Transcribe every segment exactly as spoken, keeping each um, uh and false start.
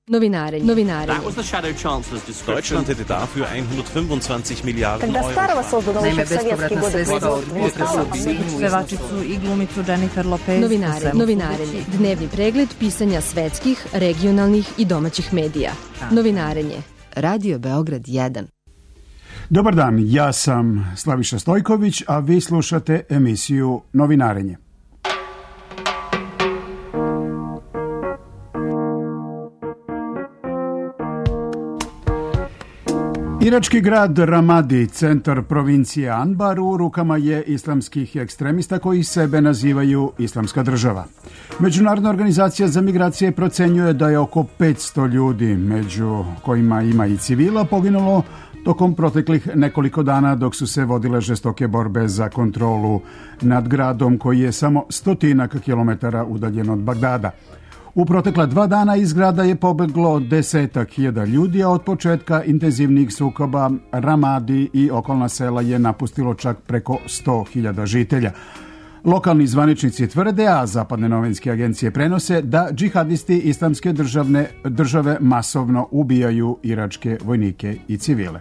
Novinarenje. Novinarenje. That was the Shadow Chancellor's description. Deutschland hätte dafür hundertfünfundzwanzig Milliarden Когда Euro. старого создано Naime, еще в советские годы производства. Pevačicu i glumicu Jennifer Lopez. Novinarenje. Novinarenje. Dnevni pregled pisanja svetskih, regionalnih i domaćih medija. Novinarenje. Radio Beograd jedan. Dobar dan, ja sam Slaviša Stojković, a vi slušate emisiju Novinarenje. Irački grad Ramadi, centar provincije Anbar, u rukama je islamskih ekstremista koji sebe nazivaju Islamska država. Međunarodna organizacija za migracije procenjuje da je oko petsto ljudi, među kojima ima i civila, poginulo tokom proteklih nekoliko dana dok su se vodile žestoke borbe za kontrolu nad gradom koji je samo stotinak kilometara udaljen od Bagdada. U protekla dva dana iz grada je pobeglo desetak hiljada ljudi, a od početka intenzivnih sukoba Ramadi i okolna sela je napustilo čak preko sto hiljada žitelja. Lokalni zvaničnici tvrde, a zapadne novinske agencije prenose, da džihadisti islamske državne države masovno ubijaju iračke vojnike i civile.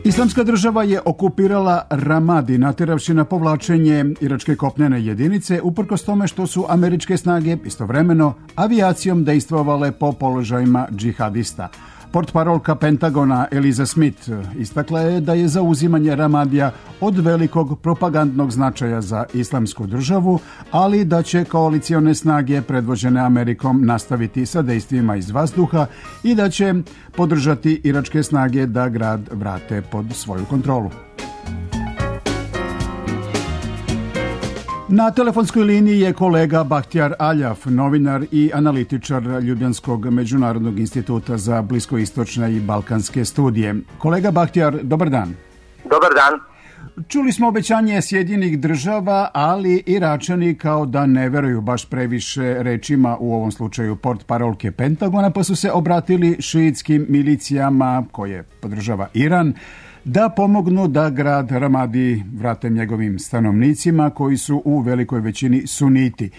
Islamska država je okupirala Ramadi, natjeravši na povlačenje iračke kopnene jedinice, uprkos tome što su američke snage istovremeno avijacijom dejstvovale po položajima džihadista. Portparolka Pentagona Eliza Smith istakla je da je zauzimanje Ramadija od velikog propagandnog značaja za islamsku državu, ali da će koalicione snage predvođene Amerikom nastaviti sa dejstvima iz vazduha i da će podržati iračke snage da grad vrate pod svoju kontrolu. Na telefonskoj liniji je kolega Bahtjar Aljaf, novinar i analitičar Ljubljanskog međunarodnog instituta za bliskoistočne i balkanske studije. Kolega Bahtjar, dobar dan. Dobar dan. Čuli smo obećanje Sjedinjenih država, ali Iračani kao da ne veruju baš previše rečima, u ovom slučaju portparolke Pentagona, pa su se obratili šiitskim milicijama koje podržava Iran, da pomognu da grad Ramadi vrate njegovim stanovnicima koji su u velikoj većini suniti.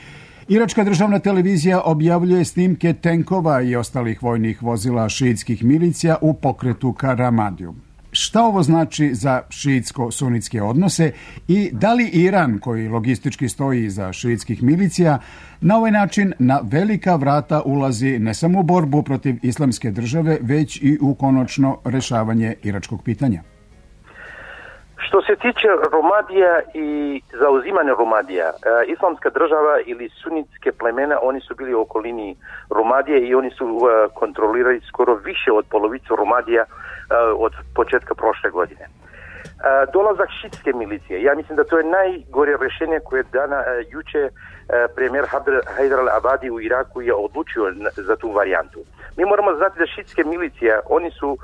Iračka državna televizija objavljuje snimke tenkova i ostalih vojnih vozila šiitskih milicija u pokretu ka Ramadiju. Šta ovo znači za šiitsko-sunitske odnose i da li Iran, koji logistički stoji iza šiitskih milicija, na ovaj način na velika vrata ulazi ne samo u borbu protiv islamske države, već i u konačno rešavanje iračkog pitanja? Što se tiče Ramadija i zauzimanja Ramadija, islamska država ili sunitske plemena, oni su bili u okolini Ramadije i oni su kontrolirali skoro više od polovicu Ramadija od početka prošle godine. Dolazak šiitske milicije, ja mislim da to je najgore rješenje koje je dana juče premijer Haidar al-Abadi u Iraku je odlučio za tu varijantu. Mi moramo znati da šiitske milicije, oni su e,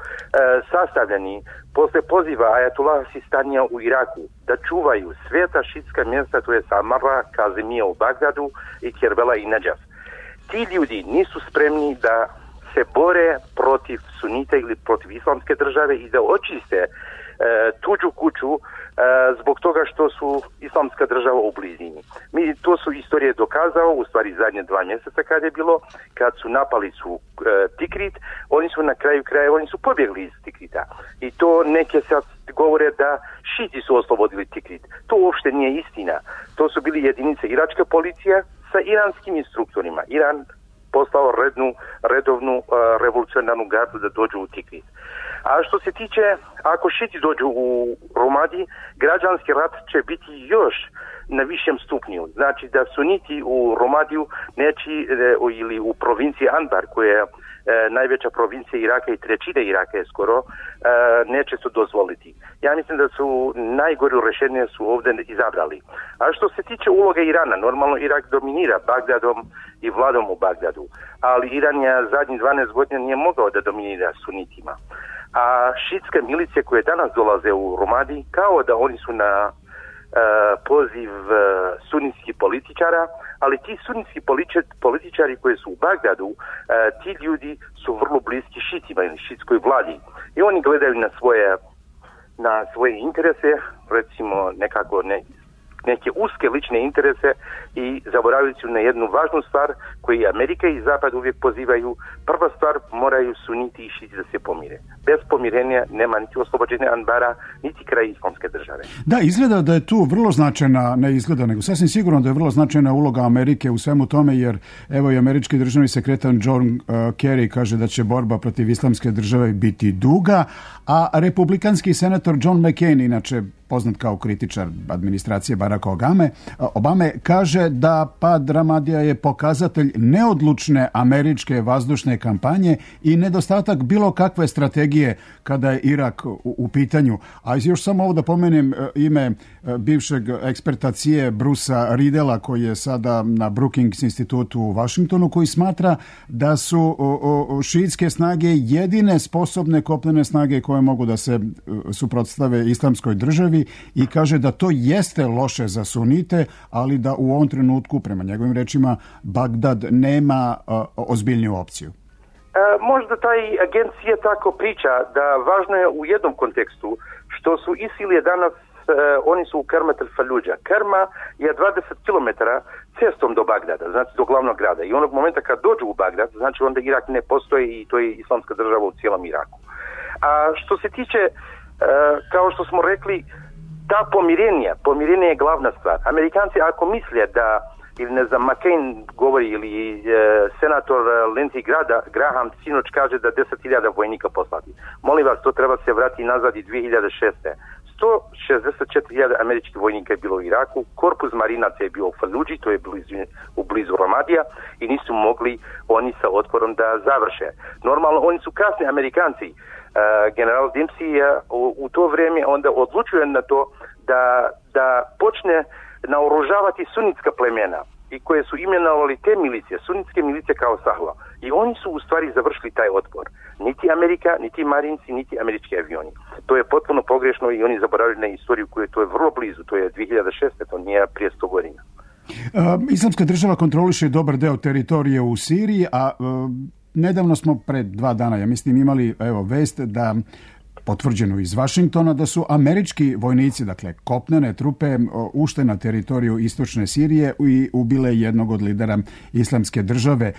sastavljeni posle poziva Ajatullah Sistanija u Iraku da čuvaju sveta šiitska mjesta, to je Samara, Kazimija u Bagdadu i Kerbela i Nadžaf. Ti ljudi nisu spremni da se bore protiv sunita ili protiv islamske države i da očiste e, tuđu kuću e, zbog toga što su islamska država u blizini. Mi, to su istorije dokazao, u stvari zadnje dva mjeseca kad je bilo, kad su napali su e, Tikrit, oni su na kraju kraja, oni su pobjegli iz Tikrita. I to neke sad govore da šiti su oslobodili Tikrit. To uopšte nije istina. To su bili jedinice iračka policija sa iranskim instruktorima. Iran poslao rednu, redovnu uh, revolucionarnu gardu da dođu u Tikrit. A što se tiče, ako šiti dođu u Ramadi, građanski rat će biti još na višem stupnju. Znači da suniti u Ramadiju neći, e, ili u provinciji Anbar, koja je e, najveća provincija Iraka i trećina Iraka je skoro, e, neće se dozvoliti. Ja mislim da su najgore rješenje su ovdje izabrali. A što se tiče uloge Irana, normalno Irak dominira Bagdadom i vladom u Bagdadu, ali Iran je zadnjih dvanaest godina nije mogao da dominira sunitima. A šiitske milicije koje danas dolaze u Ramadi, kao da oni su na Uh, poziv uh, sunitskih političara, ali ti sunitski političari koji su u Bagdadu, uh, ti ljudi su vrlo bliski šitima ili šitskoj vladi i oni gledaju na svoje na svoje interese, recimo nekako ne, neke uske lične interese i zaboravili su na jednu važnu stvar koju Amerika i Zapad uvijek pozivaju. Prva stvar, moraju suniti i šiti da se pomire. Bez pomirenja nema niti oslobođenja Anbara, niti kraj islamske države. Da, izgleda da je tu vrlo značajna, ne izgleda, nego sasvim sigurno da je vrlo značajna uloga Amerike u svemu tome, jer evo i američki državni sekretar John uh, Kerry kaže da će borba protiv islamske države biti duga, a republikanski senator John McCain, inače poznat kao kritičar administracije Baracka Obame, Obame, kaže da pad Ramadija je pokazatelj neodlučne američke vazdušne kampanje i nedostatak bilo kakve strategije kada je Irak u, u pitanju. A još samo ovo da pomenem ime bivšeg eksperta C I A Brucea Riedela, koji je sada na Brookings institutu u Washingtonu, koji smatra da su o, o, šiitske snage jedine sposobne kopnene snage koje mogu da se suprotstave islamskoj državi i kaže da to jeste loše za sunite, ali da u ovom trenutku, prema njegovim rečima, Bagdad nema uh, ozbiljniju opciju. E, možda taj agencija tako priča da važno je u jednom kontekstu što su ISIL je danas, e, oni su u Kermet el-Faludža. Kerma je dvadeset kilometara cestom do Bagdada, znači do glavnog grada. I onog momenta kad dođu u Bagdad, znači onda Irak ne postoji i to je islamska država u cijelom Iraku. A što se tiče, e, kao što smo rekli, ta pomirenja, pomirenje je glavna stvar. Amerikanci ako misle da, ili ne znam, McCain govori, ili e, senator Lindsey Graham sinoć kaže da deset hiljada vojnika poslati. Molim vas, to treba se vrati nazad i dvije hiljade šeste. sto šezdeset četiri hiljade američkih vojnika je bilo u Iraku, korpus marinaca je bio u Faludži, to je blizu, u blizu Ramadija, i nisu mogli oni sa otporom da završe. Normalno, oni su kasni Amerikanci. Uh, general Dempsey uh, u, u to vrijeme onda odlučuje na to da, da počne naoružavati sunitska plemena i koje su imenovali te milicije, sunitske milicije kao Sahla. I oni su u stvari završili taj otpor. Niti Amerika, niti Marinci, niti američki avioni. To je potpuno pogrešno i oni zaboravili na istoriju koja to je vrlo blizu, to je dvije hiljade šeste, to nije prije sto godina. Uh, Islamska država kontroliše dobar deo teritorije u Siriji, a uh, nedavno smo pred dva dana, ja mislim, imali evo vest da potvrđeno iz Vašingtona da su američki vojnici, dakle kopnene trupe, ušle na teritoriju istočne Sirije i ubile jednog od lidera islamske države.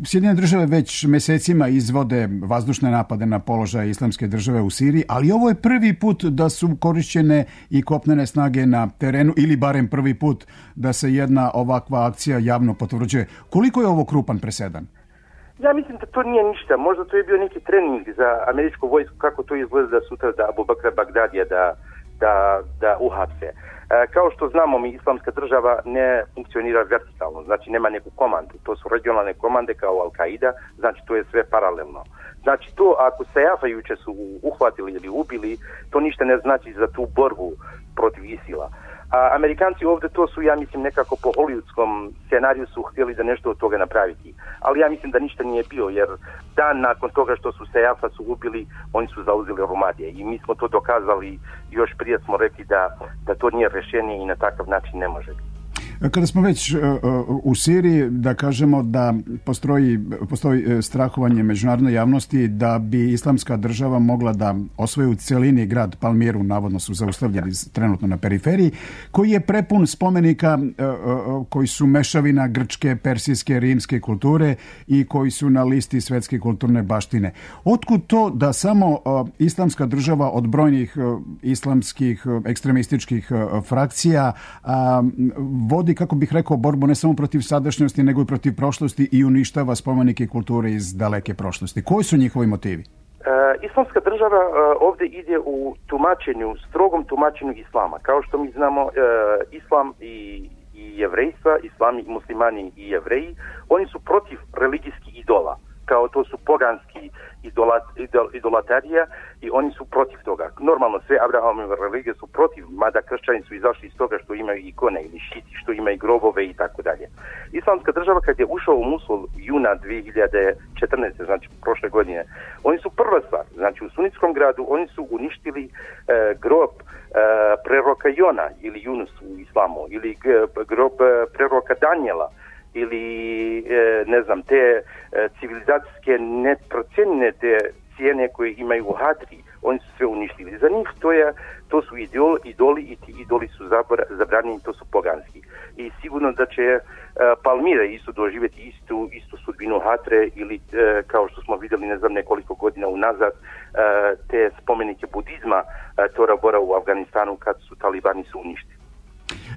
Sjedinjene države već mesecima izvode vazdušne napade na položaje islamske države u Siriji, ali ovo je prvi put da su korišćene i kopnene snage na terenu, ili barem prvi put da se jedna ovakva akcija javno potvrđuje. Koliko je ovo krupan presedan? Ja mislim da to nije ništa. Možda to je bio neki trening za američku vojsku kako to izgleda da sutra da Abu Bakra Bagdadija da, da, da uhapse. E, kao što znamo, mi islamska država ne funkcionira vertikalno, znači nema neku komandu. To su regionalne komande kao Al-Qaida, znači to je sve paralelno. Znači to ako Sajafa juče su uhvatili ili ubili, to ništa ne znači za tu borbu protiv ISIL-a. A Amerikanci ovdje to su, ja mislim, nekako po hollywoodskom scenariju su htjeli da nešto od toga napraviti. Ali ja mislim da ništa nije bio, jer dan nakon toga što su Sajafa su ubili, oni su zauzeli Ramadije. I mi smo to dokazali, još prije smo rekli da, da to nije rješenje i na takav način ne može biti. Kada smo već uh, u Siriji, da kažemo da postoji, postoji strahovanje međunarodne javnosti da bi islamska država mogla da osvoji u celini grad Palmiru, navodno su zaustavljeni trenutno na periferiji, koji je prepun spomenika uh, uh, koji su mešavina grčke, persijske, rimske kulture i koji su na listi svetske kulturne baštine. Otkud to da samo uh, islamska država od brojnih uh, islamskih uh, ekstremističkih uh, frakcija uh, vodi, kako bih rekao, borbu ne samo protiv sadašnjosti, nego i protiv prošlosti i uništava spomenike kulture iz daleke prošlosti? Koji su njihovi motivi? E, islamska država e, ovdje ide u tumačenju, strogom tumačenju islama. Kao što mi znamo, e, islam i, i jevrejstva, islami, muslimani i jevreji, oni su protiv religijskih idola. Kao to su poganski idolat, idol, idolatarija i oni su protiv toga. Normalno sve Abrahamove religije su protiv, mada kršćani su izašli iz toga što imaju ikone ili šiti, što imaju grobove i tako dalje. Islamska država kad je ušao u Musul juna dvije hiljade četrnaeste, znači prošle godine, oni su prva stvar, znači u sunitskom gradu oni su uništili e, grob e, preroka Jona ili Yunus u islamu, ili g, grob e, preroka Danijela, ili ne znam, te civilizacijske neprocijenjene te cijene koje imaju u Hadri, oni su sve uništili. Za njih to, je, to su idol, idoli i ti idoli su zabranjeni, to su poganski. I sigurno da će uh, Palmira isto doživjeti istu, istu sudbinu Hatre ili uh, kao što smo vidjeli ne znam nekoliko godina unazad uh, te spomenike budizma uh, Tora Bora u Afganistanu kad su talibani su uništili.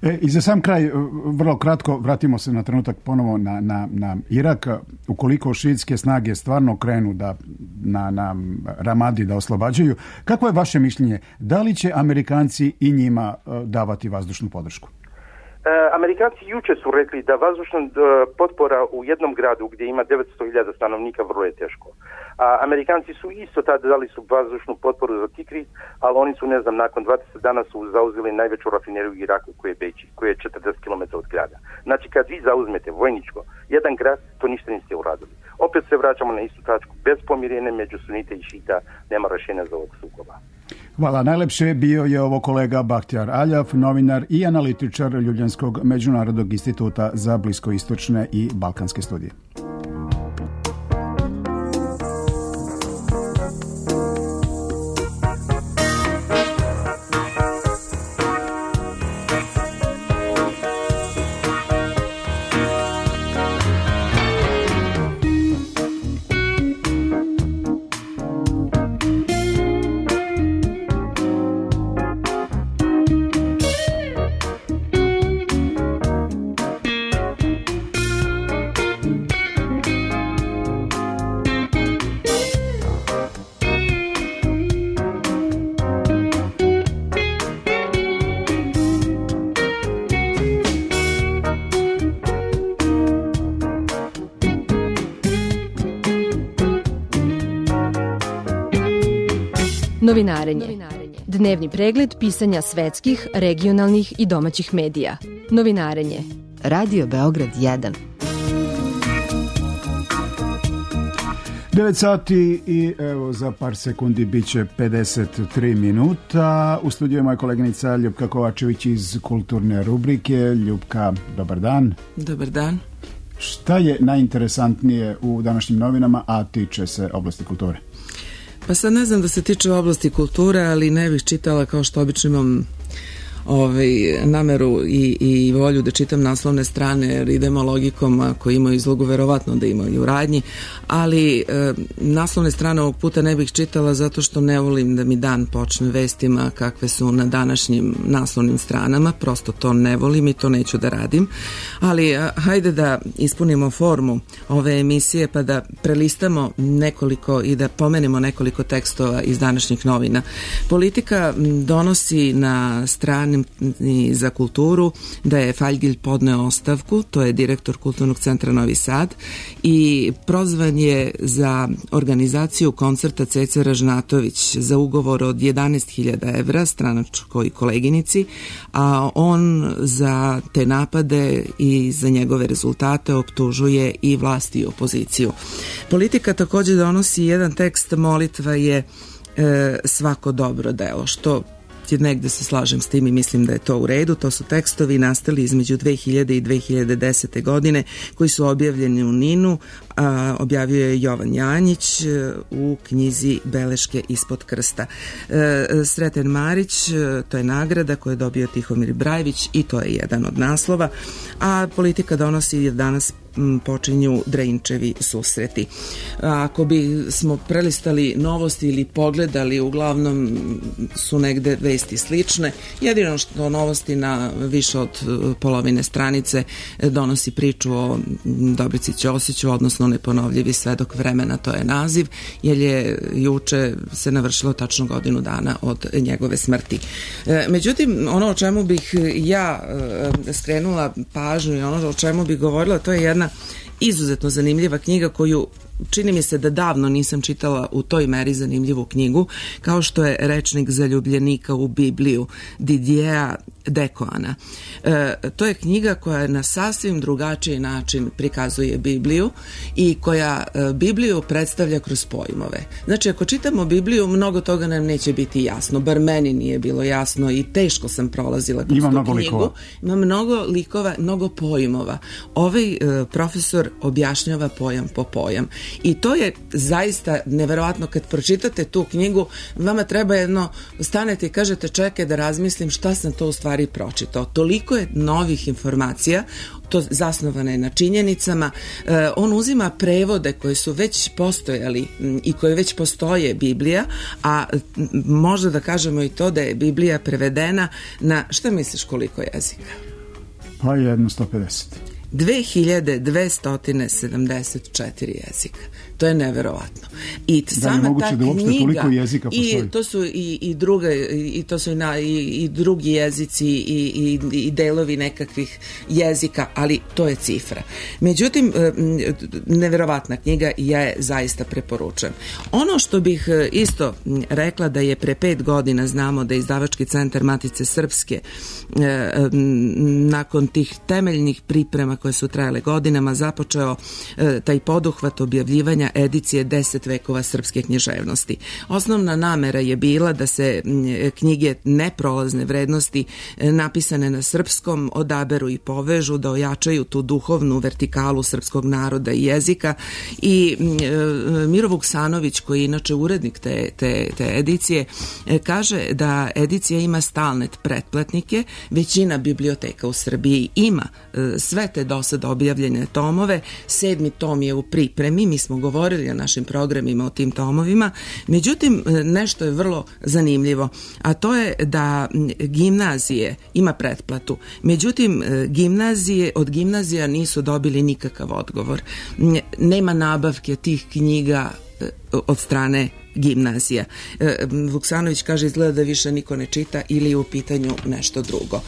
E, I za sam kraj, vrlo kratko, vratimo se na trenutak ponovo na, na, na Irak. Ukoliko šiitske snage stvarno krenu da, na, na Ramadi da oslobađaju, kako je vaše mišljenje? Da li će Amerikanci i njima davati vazdušnu podršku? E, Amerikanci juče su rekli da vazdušna e, potpora u jednom gradu gdje ima devetsto hiljada stanovnika vrlo je teško. A Amerikanci su isto tada dali su vazdušnu potporu za Tikrit, ali oni su, ne znam, nakon dvadeset dana su zauzeli najveću rafineriju u Iraku koji je Beči, koji je četrdeset kilometara od grada. Znači kad vi zauzmete vojničko jedan grad, to ništa niste uradili. Opet se vraćamo na istu tačku. Bez pomirenja među sunite i šita nema rješenja za ovog sukoba. Hvala. Najlepše bio je ovo kolega Bahtjar Aljav, novinar i analitičar Ljubljanskog međunarodnog instituta za bliskoistočne i balkanske studije. Novinarenje. Dnevni pregled pisanja svetskih, regionalnih i domaćih medija. Novinarenje. Radio Beograd jedan. devet sati i evo za par sekundi bit će pedeset tri minuta. U studiju je moja koleginica Ljupka Kovačević iz kulturne rubrike. Ljupka, dobar dan. Dobar dan. Šta je najinteresantnije u današnjim novinama, a tiče se oblasti kulture? Pa sad ne znam da se tiče oblasti kulture, ali ne bih čitala kao što obično imam ovaj, nameru i, i volju da čitam naslovne strane, jer idemo logikom, ako imaju izlogu, verovatno da imaju u radnji, ali e, naslovne strane ovog puta ne bih čitala zato što ne volim da mi dan počne vestima kakve su na današnjim naslovnim stranama, prosto to ne volim i to neću da radim, ali a, hajde da ispunimo formu ove emisije pa da prelistamo nekoliko i da pomenemo nekoliko tekstova iz današnjih novina. Politika donosi na strani za kulturu da je Faljgilj podneo ostavku, to je direktor Kulturnog centra Novi Sad, i prozvan je za organizaciju koncerta Ceca Ražnatović za ugovor od jedanaest hiljada evra stranačkoj koleginici, a on za te napade i za njegove rezultate optužuje i vlasti i opoziciju. Politika također donosi jedan tekst, molitva je e, svako dobro delo, što negde se slažem s tim i mislim da je to u redu. To su tekstovi nastali između dve hiljade i dve hiljade desete godine koji su objavljeni u Ninu, a objavio je Jovan Janjić u knjizi Beleške ispod krsta. E, Sreten Marić, to je nagrada koju je dobio Tihomir Brajević i to je jedan od naslova, a Politika donosi danas počinju Dreinčevi susreti. Ako bi smo prelistali novosti ili pogledali, uglavnom su negde vesti slične. Jedino što novosti na više od polovine stranice donosi priču o Dobrici Ćosiću, odnosno Neponovljivi svedok vremena, to je naziv, jer je juče se navršilo tačno godinu dana od njegove smrti. Međutim, ono o čemu bih ja skrenula pažnju i ono o čemu bih govorila, to je jedna izuzetno zanimljiva knjiga koju čini mi se da davno nisam čitala u toj meri zanimljivu knjigu, kao što je Rečnik zaljubljenika u Bibliju Didieja Dekoana. E, to je knjiga koja na sasvim drugačiji način prikazuje Bibliju i koja e, Bibliju predstavlja kroz pojmove. Znači, ako čitamo Bibliju, mnogo toga nam neće biti jasno, bar meni nije bilo jasno i teško sam prolazila kroz Ima tu mnogo knjigu. likova. Ima mnogo likova, mnogo pojmova. Ovaj e, profesor objašnjava pojam po pojam. I to je zaista neverovatno kad pročitate tu knjigu, vama treba jedno, stanete i kažete čekaj da razmislim šta sam to u stvari pročitao. Toliko je novih informacija, to zasnovane na činjenicama. E, on uzima prevode koji su već postojali m, i koje već postoje Biblija, a m, možda da kažemo i to da je Biblija prevedena na, šta misliš koliko jezika? Pa jedno sto pedeset. dve hiljade dvesta sedamdeset četiri jezika. To je neverovatno. I Da sama je moguće ta da uopšte knjiga, toliko jezika postoji? i to su i, i druge i to su i, na, i, i drugi jezici i, i, i delovi nekakvih jezika, ali to je cifra. Međutim, neverovatna knjiga i ja je zaista preporučujem. Ono što bih isto rekla da je pre pet godina, znamo da je Izdavački centar Matice Srpske nakon tih temeljnih priprema koje su trajale godinama započeo taj poduhvat objavljivanja edicije deset vekova srpske književnosti. Osnovna namera je bila da se knjige neprolazne vrednosti napisane na srpskom odaberu i povežu, da ojačaju tu duhovnu vertikalu srpskog naroda i jezika i Miro Vuksanović, koji je inače urednik te, te, te edicije, kaže da edicija ima stalne pretplatnike, većina biblioteka u Srbiji ima sve te do sada objavljene tomove, sedmi tom je u pripremi, mi smo govorili na našim programima o tim tomovima, međutim nešto je vrlo zanimljivo, a to je da gimnazije ima pretplatu, međutim gimnazije, od gimnazija nisu dobili nikakav odgovor, nema nabavke tih knjiga od strane gimnazija. Vuksanović kaže izgleda da više niko ne čita ili je u pitanju nešto drugo.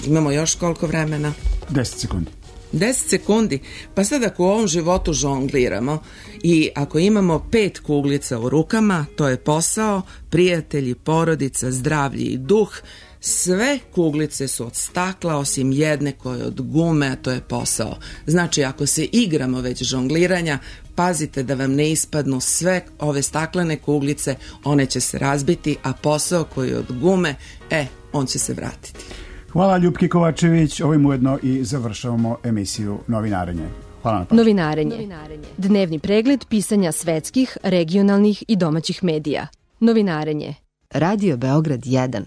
Imamo još koliko vremena? deset sekundi. deset sekundi. Pa sad ako u ovom životu žongliramo i ako imamo pet kuglica u rukama, to je posao, prijatelji, porodica, zdravlje i duh, sve kuglice su od stakla osim jedne koja je od gume, a to je posao. Znači ako se igramo već žongliranja, pazite da vam ne ispadnu sve ove staklene kuglice, one će se razbiti, a posao koji je od gume, e, on će se vratiti. Hvala Ljupki Kovačević, ovim ujedno i završavamo emisiju Novinarenje. Hvala na pažnji. Novinarenje. Dnevni pregled pisanja svetskih, regionalnih i domaćih medija. Novinarenje. Radio Beograd jedan.